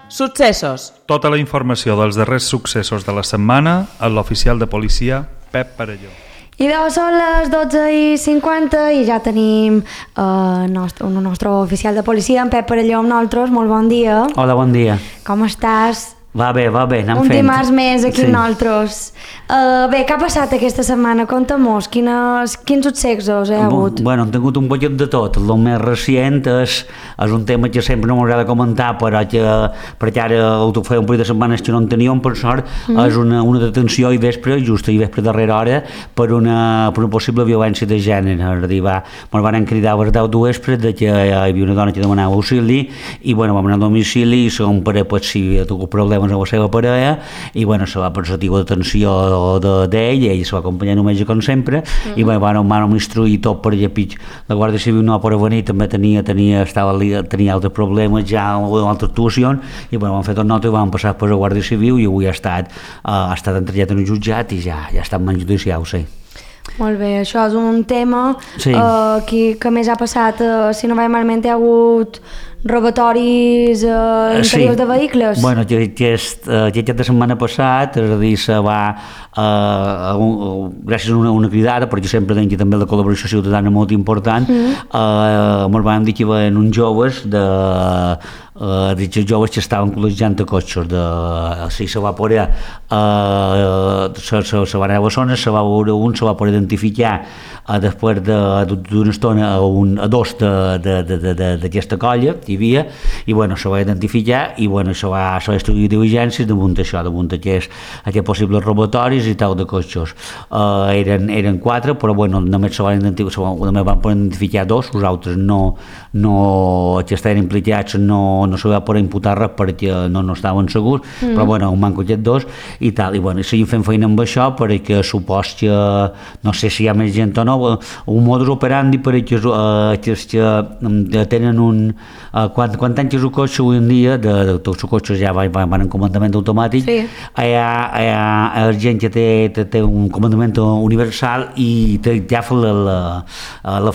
Successos. Tota la informació dels darrers successos de la setmana a l'oficial de policia Pep Parelló. I són les 12:50 i ja tenim el nostre oficial de policia, en Pep Parelló, amb nosaltres. Molt bon dia. Hola, bon dia. Com estàs? Va bé, anem un fent. Un dimarts més aquí sí. amb nosaltres. Bé, què ha passat aquesta setmana? Conta-mos, quins successos hi ha hagut? Bueno, hem tingut un poquet de tot. El més recient és un tema que sempre no m'agrada comentar, perquè ara ho feia un parell de setmanes que no en teníem, per sort, és una detenció i vespre darrera hora, per una possible violència de gènere. És a dir, ens van cridar a les 10 de vespre que hi havia una dona que demanava auxili, i bueno, vam anar a domicili, i segon pare, si hi ha tingut problemes amb la seva parella, i bueno, se va procedir d'atenció d'ell, ell se va acompanyar només com sempre, i bueno, vam instruir tot per allà pitj. La Guàrdia Civil no va venir, també tenia altres problemes ja, altres actuacions, i bueno, vam fer tot nota i vam passar per la Guàrdia Civil, i avui ha estat entregat en un jutjat i ja està en mans judicial, sí. Molt bé, això és un tema sí. que més ha passat, si no vaig malament, hi ha hagut robatoris interiors de vehicles. Bueno, aquesta setmana passat, és a dir, se va, gràcies a una cridada, perquè sempre deien que també la col·laboració ciutadana molt important, ens van dir que hi havia uns joves joves que estaven col·legiant a cotxes. Se va poder se va anar a la zona, se va veure un, se va poder identificar després d'una estona a dos d'aquesta colla que hi havia, i bueno, se va identificar i bueno, se va estudiar diligències damunt això, damunt aquests possibles robatoris i tal de cotxes. Eren 4, però bueno, només van poder identificar 2, els altres que estaven implicats no se va poder imputar res perquè no estaven segurs, però bueno, un manco aquests 2 i tal, i bueno, seguim fent feina amb això perquè supos que, no sé si hi ha més gent o no, un modus operandi perquè que tenen quan tanques el cotxe avui en dia, tots els cotxes ja van en comandament automàtic, sí. Hi ha gent que té un comandament universal i ja fa la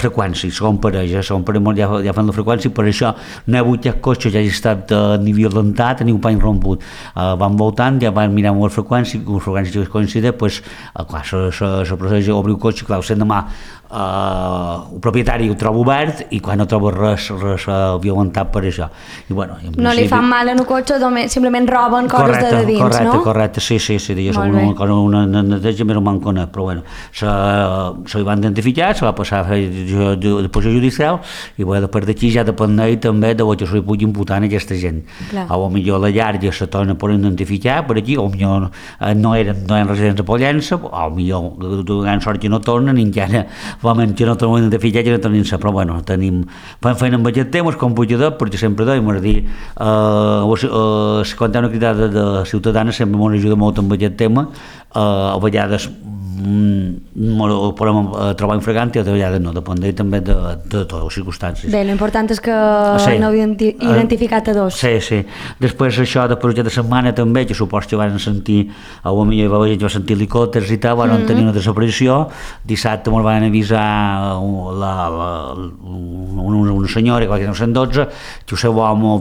freqüència, segon parell ja fan la freqüència, per això no hi ha hagut cotxes, ja ha estat ni violentat ni un pany romput, van voltant, ja van mirar amb la freqüència que coincideix, doncs clar, se procedeix a obrir el cotxe, clar, sent demà el propietari ho troba obert i quan no troba res violentat per això. I, bueno, no li fan mal en el cotxe, simplement roben coses de dins, no? Correcte, sí, jo soc una neteja més o menys conegut, però bueno, se hi van identificar, se va passar a fer deposició judicial i bueno, després d'aquí ja depèn també de que se li pugui imputar a aquesta gent. O millor la llar ja se torna per identificar per aquí, o millor no eren residents de Pollença, o millor de gran sort que no tornen i encara que no tornem identificar que no tenim-se, però bueno, fem feina amb aquest tema, com computador, perquè sempre deim, és a dir, quan hi ha una cridada de ciutadana sempre ens ajuda molt amb aquest tema, a vegades podem trobar infragant i a vegades no, depèn també de totes les circumstàncies. Bé, l'important és que n'heu identificat a 2. Sí. Després això, després de setmana també, que supos que van sentir, a la millor la gent va sentir helicòpters i tal, van tenir una desaparició. Dissabte ens van avisar una senyora, que era 112, que el seu home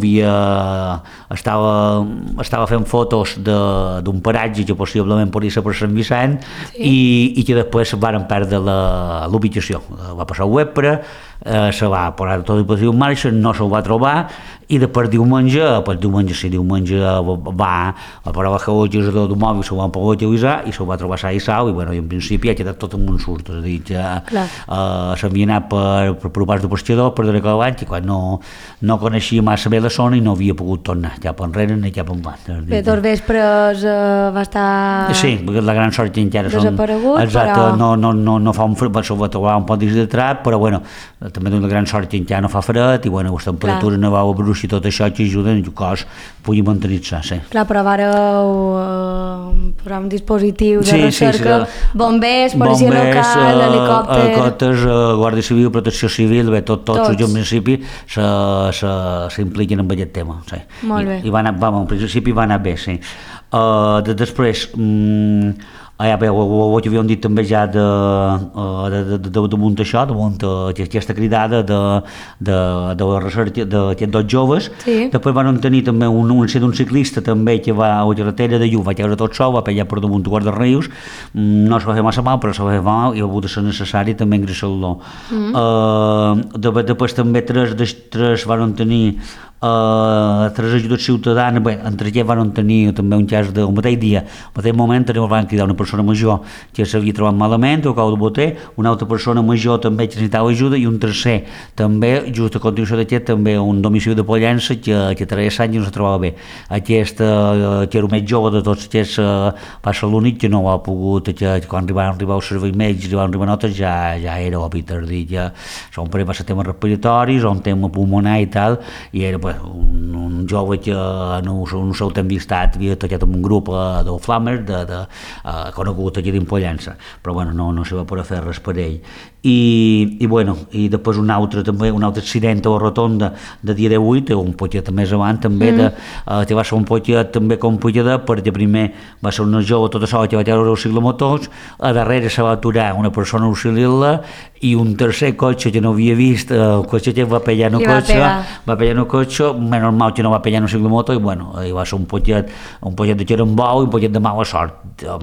estava fent fotos d'un paratge que possiblement podia ser per Sant Vicent, i que després van perdre l'ubicació. Va passar el vespre, se va posar tot el positiu en marxa, no se'l va trobar, i després diumenge va a parar l'agilitzador d'un mòbil, se'l van poder utilitzar i se'l va trobar sa i sau, i bueno, en principi ha quedat tot en un surt, és a dir, que s'havia anat per parts de pescador, per darrere l'any, i quan no coneixia massa bé la zona i no havia pogut tornar, cap enrere ni cap endavant. Bé, dos vespres va estar... Sí, la gran sort que encara desaparegut, exacte, no fa un fred, se'l va trobar un pot de trap, però bueno, també una gran sort que encara no fa fred, i bueno, les temperatures no va a bruix i tot això que ajuden que el cos pugui mantenir-se, sí. Clar, però vareu posar un dispositiu de recerca, bombers, policia local, helicòpters, Guàrdia Civil, Protecció Civil, bé, tots els en principi s'impliquen en aquest tema, sí. Molt bé. I en principi va anar bé, sí. Després, ho havíem dit també ja damunt això, damunt aquesta cridada de la recerca d'aquests dos joves. Després van tenir també un ciclista també que va a la carretera de Lluc, va caure tot sol, va pegar per damunt Guarda Rius, no es va fer massa mal, però se va fer mal i ha hagut de ser necessari també ingressar-lo. Després també tres van tenir tres ajudes ciutadanes, bé, entre aquests van tenir també un cas del mateix dia, al mateix moment van cridar una persona major que s'havia trobat malament o cau de boter, una altra persona major també que necessitava ajuda i un tercer també, just a continuació d'aquest, també un domicili de Pollença que treia sang i no se trobava bé. Aquest, que era el més jove de tots aquests, va ser l'únic que no ha pogut, que quan van arribar els serveis mèdics i van arribar notes ja era òbit, ja va ser tema respiratoris o un tema pulmonar i tal, i era un jove que no seu temps estat havia tocat amb un grup de Flammers conegut aquí d'Impollença, però bueno, no se va poder fer res per ell. I després un altre accident a la rotonda de dia 18, un poquet més avant també, que va ser un poquet també complicat perquè primer va ser una jove tota sola que va treure els ciclomotors, a darrere se va aturar una persona a auxiliar-la i un tercer cotxe que no havia vist, el cotxe que va pegar en el cotxe, menys mal que no va pegar en el ciclomotor i va ser un poquet de xerambou i un poquet de mala sort.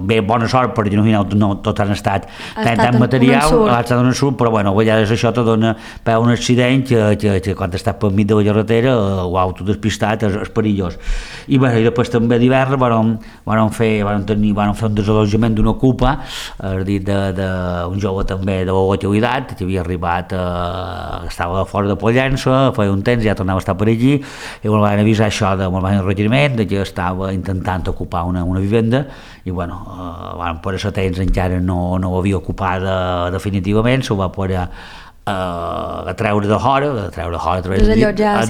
Bé, bona sort perquè no tot han estat tan material, ha estat un ensurt, però a vegades això te dona per un accident que quan estàs pel mig de la carretera l'auto despistat és perillós. I després també d'hivern van fer un desalojament d'una ocupa, és a dir, d'un jove també de la localitat que havia arribat, estava fora de Pollença, feia un temps, ja tornava a estar per allí, i me'l van avisar això, me'l van requeriment que estava intentant ocupar una vivenda i van poder ser temps encara no havia ocupada definitivament, s'ho va poder a treure de hora, desallotjar a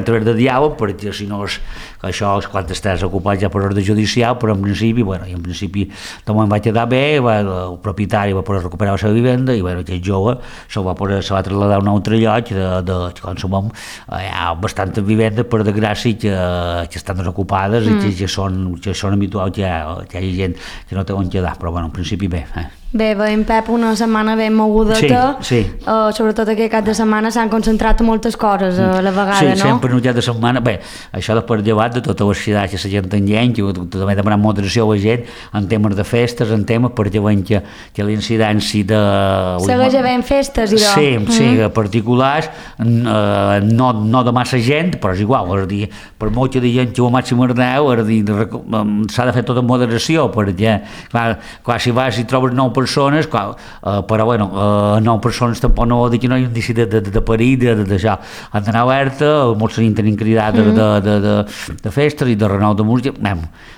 través de diàleg, perquè si no això és quan estàs ocupat ja per ordre judicial, però en principi de moment va quedar bé, el propietari va poder recuperar la seva vivenda i aquest jove se va traslladar a un altre lloc de qualsevol, hi ha bastantes vivendes per desgràcia que estan desocupades i que són habituals que hi hagi gent que no té on quedar, però en principi bé. Bé, veiem, Pep, una setmana ben mogudeta, sobretot aquest cap de setmana s'han concentrat moltes coses a la vegada, no? Sí, sempre en un cap de setmana, bé, això després llevat de tota la ciutat que la gent engany, que també demanant moderació a la gent en temes de festes, en temes perquè veiem que l'incidència de... Segueix havent festes i Sí, particulars, no de massa gent, però és igual, és a dir, per molt que diguen que el màxim és 10, s'ha de fer tot en moderació, perquè, clar, si vas i trobes 9 persones, però 9 persones tampoc no vol dir que no hi ha un indici de perill, d'això. Han d'anar alerta, molts tenien cridades de festes i de renou de música,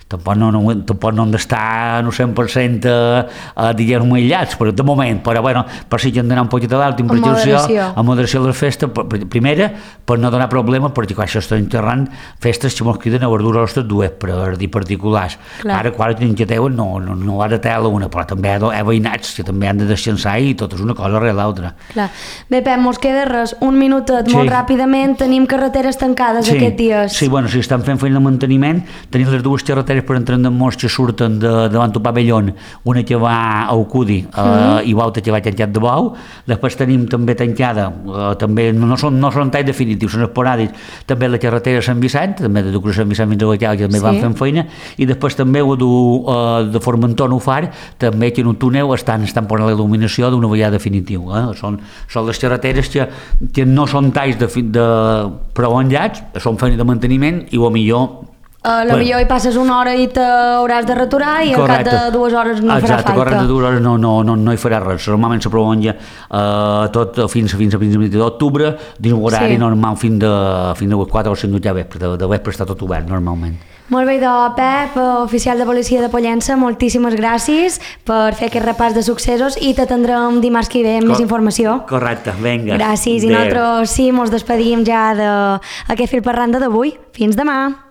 tampoc no han d'estar 100% diguem aïllats, però de moment, però per si que han d'anar un poquet a l'alt, a moderació de les festes, primera, per no donar problemes, perquè quan això estan enterrant festes que mos criden a verdures ostres dues, per dir particulars. Ara, quan que teuen, no ha de tela una, però també hi ha veïnats que també han de descansar i tot és una cosa rere l'altra. Bé, Pep, mos queda res, un minutet, molt ràpidament, tenim carreteres tancades aquests dies. Sí, si estan fent feina de manteniment, tenim les dues carreteres per entrar en molts que surten davant del pavellón, una que va a Ucudi i l'altra que va tancat de Bou, després tenim també tancada, també no són talls definitius, són esporàdics, també la carretera Sant Vicent, també de Sant Vicent fins a Guacal, que també van fent feina, i després també de Formentor Nufar, també que en un túnel estan posant la il·luminació d'una vegada definitiu. Són les carreteres que no són talls prolongats, són feina de manteniment i millor hi passes una hora i t'hauràs de retirar i al cap de 2 hores no farà falta. Exacte, al cap de 2 hores no hi farà res. Normalment se prolonga tot fins a principis d'octubre, dins l'horari normal fins a 4 o 5 de vespre, de vespre està tot obert normalment. Molt bé, Pep, oficial de policia de Pollença, moltíssimes gràcies per fer aquest repàs de successos i t'atendrem dimarts que ve amb més informació. Correcte, vinga. Gràcies, i nosaltres sí, mos despedim ja d'aquest fil per randa d'avui. Fins demà.